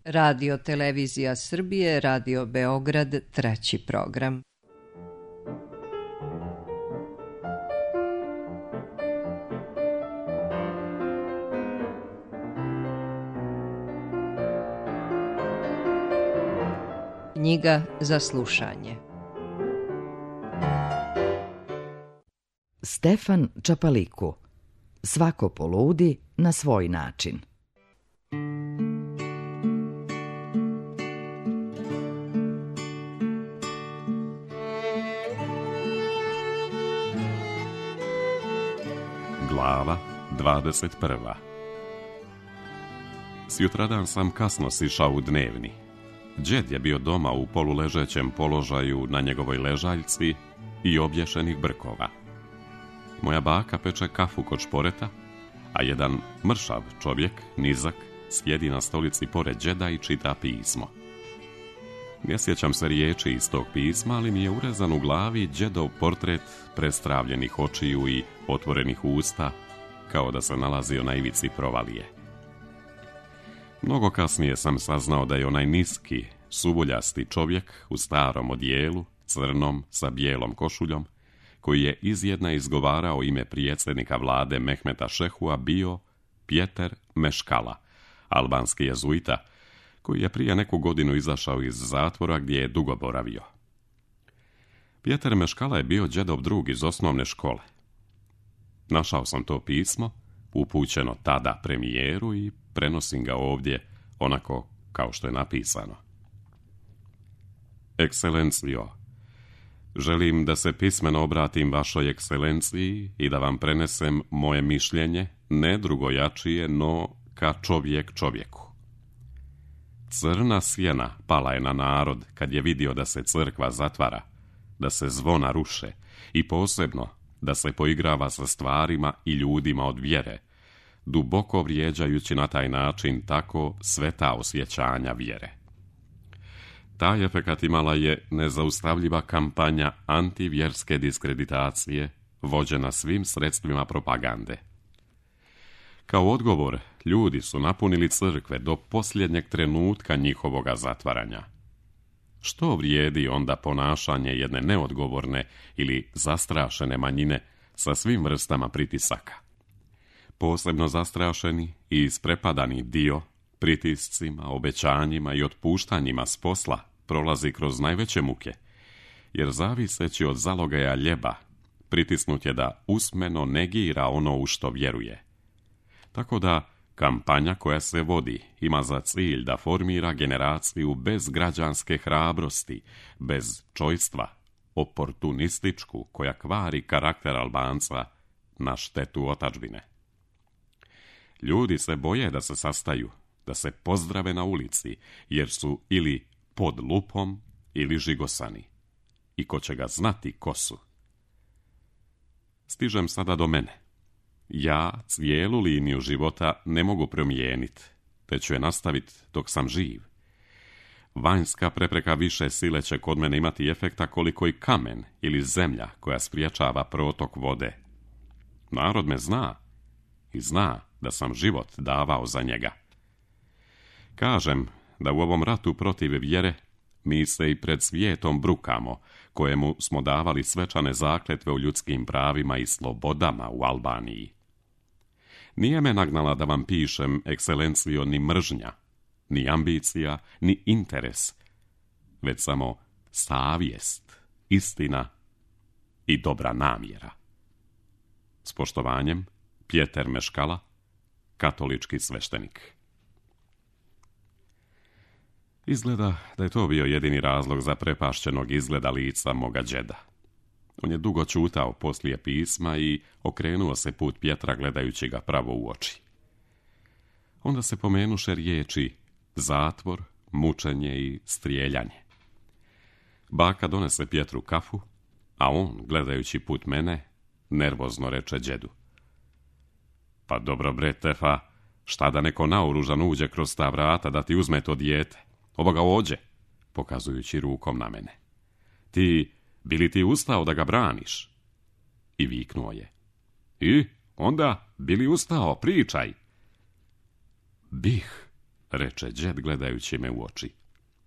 Radio Televizija Srbije, Radio Beograd, 3. program. Knjiga za slušanje. Stefan Čapaliku. Svako poludi na svoj način. Glava 21. Sjutradan sam kasno sišao u dnevni. Đed je bio doma u poluležećem položaju na njegovoj ležaljci i obješenih brkova. Moja baka peče kafu kod šporeta, a jedan mršav čovjek, nizak, sjedi na stolici pored đeda i čita pismo. Ne sjećam se riječi iz tog pisma, ali mi je urezan u glavi đedov portret prestravljenih očiju i otvorenih usta, kao da se nalazio na ivici provalije. Mnogo kasnije sam saznao da je onaj niski, suvuljasti čovjek u starom odijelu, crnom sa bijelom košuljom, koji je izjedna izgovarao ime predsjednika vlade Mehmeta Šehua, bio Pjeter Meškala, albanski jezuita, koji je prije neku godinu izašao iz zatvora gdje je dugo boravio. Pjeter Meškala je bio đedov drug iz osnovne škole. Našao sam to pismo, upućeno tada premijeru, i prenosim ga ovdje onako kao što je napisano. Ekscelencijo, želim da se pismeno obratim vašoj ekscelenciji i da vam prenesem moje mišljenje, ne drugojačije, no ka čovjek čovjeku. Crna sjena pala je na narod kad je vidio da se crkva zatvara, da se zvona ruše i posebno da se poigrava sa stvarima i ljudima od vjere, duboko vrijeđajući na taj način tako sveta osjećanja vjere. Taj efekat imala je nezaustavljiva kampanja antivjerske diskreditacije, vođena svim sredstvima propagande. Kao odgovor, ljudi su napunili crkve do posljednjeg trenutka njihovoga zatvaranja. Što vrijedi onda ponašanje jedne neodgovorne ili zastrašene manjine sa svim vrstama pritisaka? Posebno zastrašeni i isprepadani dio pritiscima, obećanjima i otpuštanjima s posla prolazi kroz najveće muke, jer zaviseći od zalogaja ljeba, pritisnut je da usmeno negira ono u što vjeruje. Tako da kampanja koja se vodi ima za cilj da formira generaciju bez građanske hrabrosti, bez čojstva, oportunističku, koja kvari karakter Albanca na štetu otadžbine. Ljudi se boje da se sastaju, da se pozdrave na ulici, jer su ili pod lupom ili žigosani. I ko će ga znati ko su? Stižem sada do mene. Ja cijelu liniju života ne mogu promijeniti, te ću je nastaviti dok sam živ. Vanjska prepreka više sile će kod mene imati efekta koliko i kamen ili zemlja koja spriječava protok vode. Narod me zna i zna da sam život davao za njega. Kažem da u ovom ratu protiv vjere mi se i pred svijetom brukamo, kojemu smo davali svečane zakletve u ljudskim pravima i slobodama u Albaniji. Nije me nagnala da vam pišem, ekscelencijo, ni mržnja, ni ambicija, ni interes, već samo savjest, istina i dobra namjera. S poštovanjem, Pjeter Meškala, katolički sveštenik. Izgleda da je to bio jedini razlog za prepašćenog izgleda lica moga đeda. On je dugo čutao poslije pisma i okrenuo se put Pjetra gledajući ga pravo u oči. Onda se pomenuše riječi zatvor, mučenje i strijeljanje. Baka donese Pjetru kafu, a on, gledajući put mene, nervozno reče đedu: Pa dobro bre, Tefa, šta da neko naoružan uđe kroz ta vrata da ti uzme to dijete? Ovoga ođe, pokazujući rukom na mene. Bi li ti ustao da ga braniš? I viknuo je: I onda, bi li ustao, pričaj? Bih, reče đed gledajući me u oči.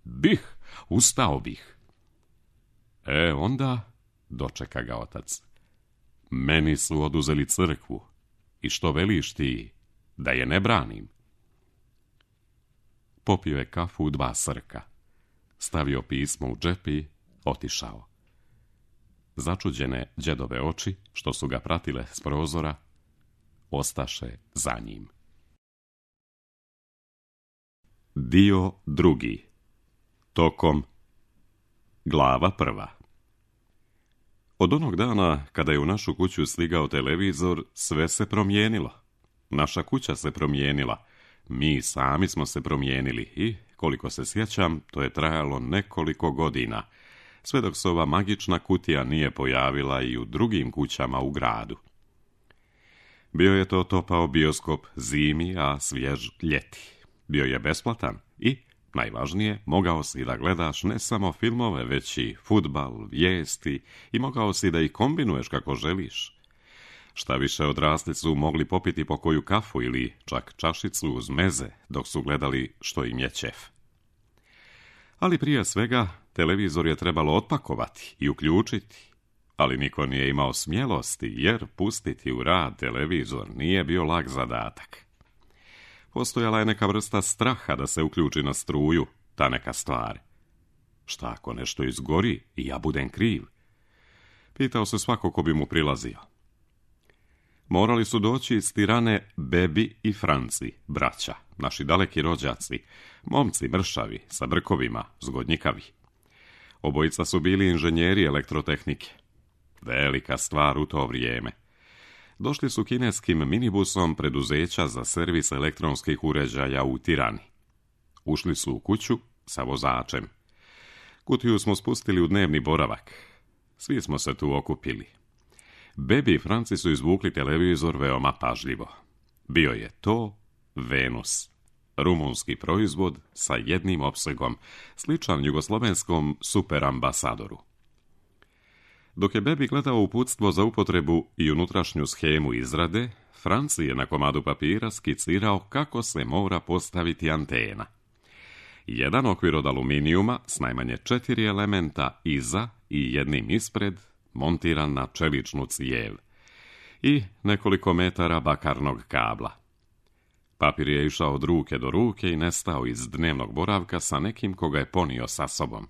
Bih, ustao bih. Onda, dočeka ga otac. Meni su oduzeli crkvu. I što veliš ti, da je ne branim? Popio je kafu u 2 srka. Stavio pismo u džep i otišao. Začuđene đedove oči, što su ga pratile s prozora, ostaše za njim. Dio 2. Tokom. Glava 1. Od onog dana kada je u našu kuću stigao televizor, sve se promijenilo. Naša kuća se promijenila. Mi sami smo se promijenili i, koliko se sjećam, to je trajalo nekoliko godina, sve dok se ova magična kutija nije pojavila i u drugim kućama u gradu. Bio je to topao bioskop zimi, a svjež ljeti. Bio je besplatan i, najvažnije, mogao si da gledaš ne samo filmove, već i fudbal, vijesti i mogao si da ih kombinuješ kako želiš. Šta više, odrasli su mogli popiti po koju kafu ili čak čašicu uz meze dok su gledali što im je ćef. Ali prije svega, televizor je trebalo otpakovati i uključiti, ali niko nije imao smjelosti jer pustiti u rad televizor nije bio lak zadatak. Postojala je neka vrsta straha da se uključi na struju, ta neka stvar. Šta ako nešto izgori i ja budem kriv? Pitao se svako ko bi mu prilazio. Morali su doći iz Tirane Bebi i Franci, braća, naši daleki rođaci, momci mršavi, sa brkovima, zgodnjikavi. Obojica su bili inženjeri elektrotehnike. Velika stvar u to vrijeme. Došli su kineskim minibusom preduzeća za servis elektronskih uređaja u Tirani. Ušli su u kuću sa vozačem. Kutiju smo spustili u dnevni boravak. Svi smo se tu okupili. Bebi i Franci su izvukli televizor veoma pažljivo. Bio je to Venus, rumunski proizvod sa jednim opsegom, sličan jugoslovenskom superambasadoru. Dok je Bebi gledao uputstvo za upotrebu i unutrašnju schemu izrade, Franci je na komadu papira skicirao kako se mora postaviti antena. Jedan okvir od aluminijuma s najmanje 4 elementa iza i jednim ispred, montiran na čeličnu cijev, i nekoliko metara bakarnog kabla. Papir je išao od ruke do ruke i nestao iz dnevnog boravka sa nekim koga je ponio sa sobom.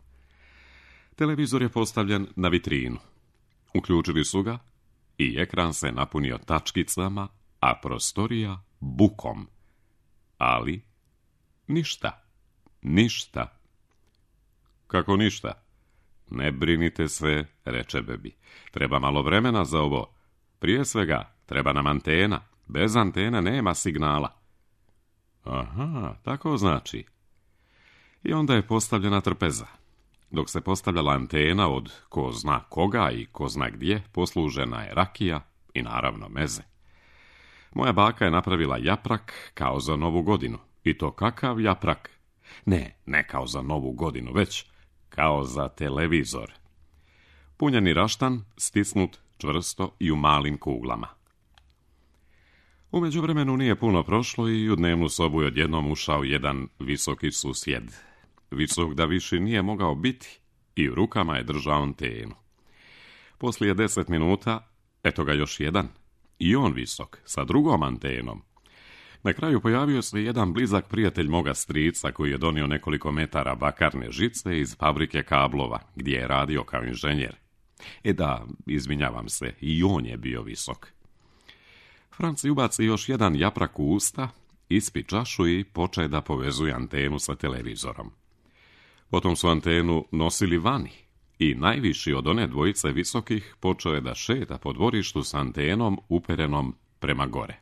Televizor je postavljen na vitrinu. Uključili su ga i ekran se napunio tačkicama, a prostorija bukom. Ali ništa. Kako ništa? Ne brinite se, reče Bebi. Treba malo vremena za ovo. Prije svega, treba nam antena. Bez antena nema signala. Aha, tako znači. I onda je postavljena trpeza. Dok se postavljala antena od ko zna koga i ko zna gdje, poslužena je rakija i naravno meze. Moja baka je napravila japrak kao za Novu godinu. I to kakav japrak? Ne kao za Novu godinu, već kao za televizor. Punjeni raštan, stisnut čvrsto i u malim kuglama. U međuvremenu nije puno prošlo i u dnevnu sobu je odjednom ušao jedan visoki susjed. Visok da više nije mogao biti i u rukama je držao antenu. Poslije 10 minuta, eto ga još jedan, i on visok, sa drugom antenom. Na kraju pojavio se jedan blizak prijatelj moga strica koji je donio nekoliko metara bakarne žice iz fabrike kablova, gdje je radio kao inženjer. Da, izvinjavam se, i on je bio visok. Franci ubaci još jedan japrak u usta, ispi čašu i poče da povezuje antenu sa televizorom. Potom su antenu nosili vani i najviši od one dvojice visokih počeo je da šeta po dvorištu s antenom uperenom prema gore.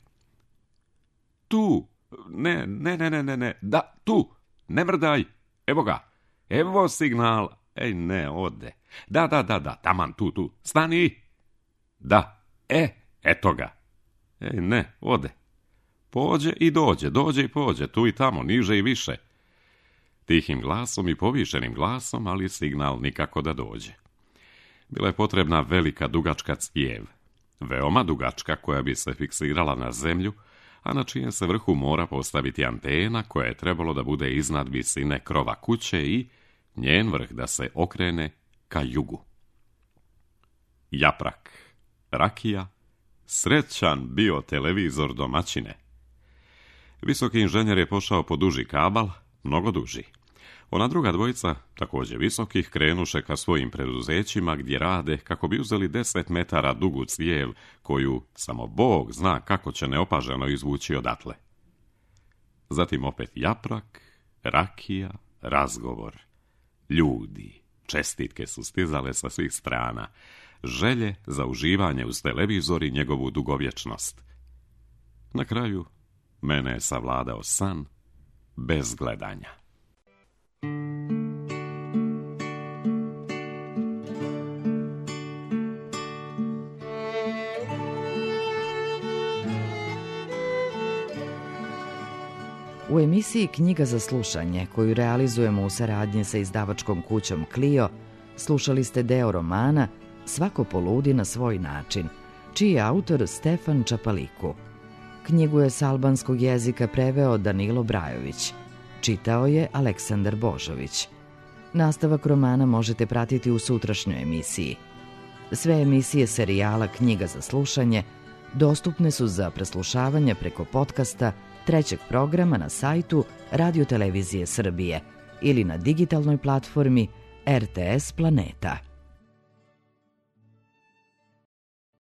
Tu! Ne, da, tu! Ne mrdaj! Evo ga! Evo signal! Ej, ne, ode! Da, taman, tu! Stani! Da, eto ga! Ej, ne, ode! Pođe i dođe i pođe, tu i tamo, niže i više. Tihim glasom i povišenim glasom, ali signal nikako da dođe. Bila je potrebna velika dugačka cijev, veoma dugačka koja bi se fiksirala na zemlju, a na čijem se vrhu mora postaviti antena koja je trebalo da bude iznad visine krova kuće i njen vrh da se okrene ka jugu. Japrak, rakija, srećan bio televizor domaćine. Visoki inženjer je pošao po duži kabal, mnogo duži. Ona druga dvojica, također visokih, krenuše ka svojim preduzećima gdje rade kako bi uzeli 10 metara dugu cijev koju samo Bog zna kako će neopaženo izvući odatle. Zatim opet japrak, rakija, razgovor. Ljudi, čestitke su stizale sa svih strana, želje za uživanje uz televizor i njegovu dugovječnost. Na kraju mene je savladao san bez gledanja. U emisiji Knjiga za slušanje, koju realizujemo u saradnji sa izdavačkom kućom Clio, slušali ste deo romana Svako poludi na svoj način, čiji je autor Stefan Čapaliku. Knjigu je s albanskog jezika preveo Danilo Brajović. Čitao je Aleksandar Božović. Nastavak romana možete pratiti u sutrašnjoj emisiji. Sve emisije serijala Knjiga za slušanje dostupne su za preslušavanje preko podcasta trećeg programa na sajtu Radio Televizije Srbije ili na digitalnoj platformi RTS Planeta.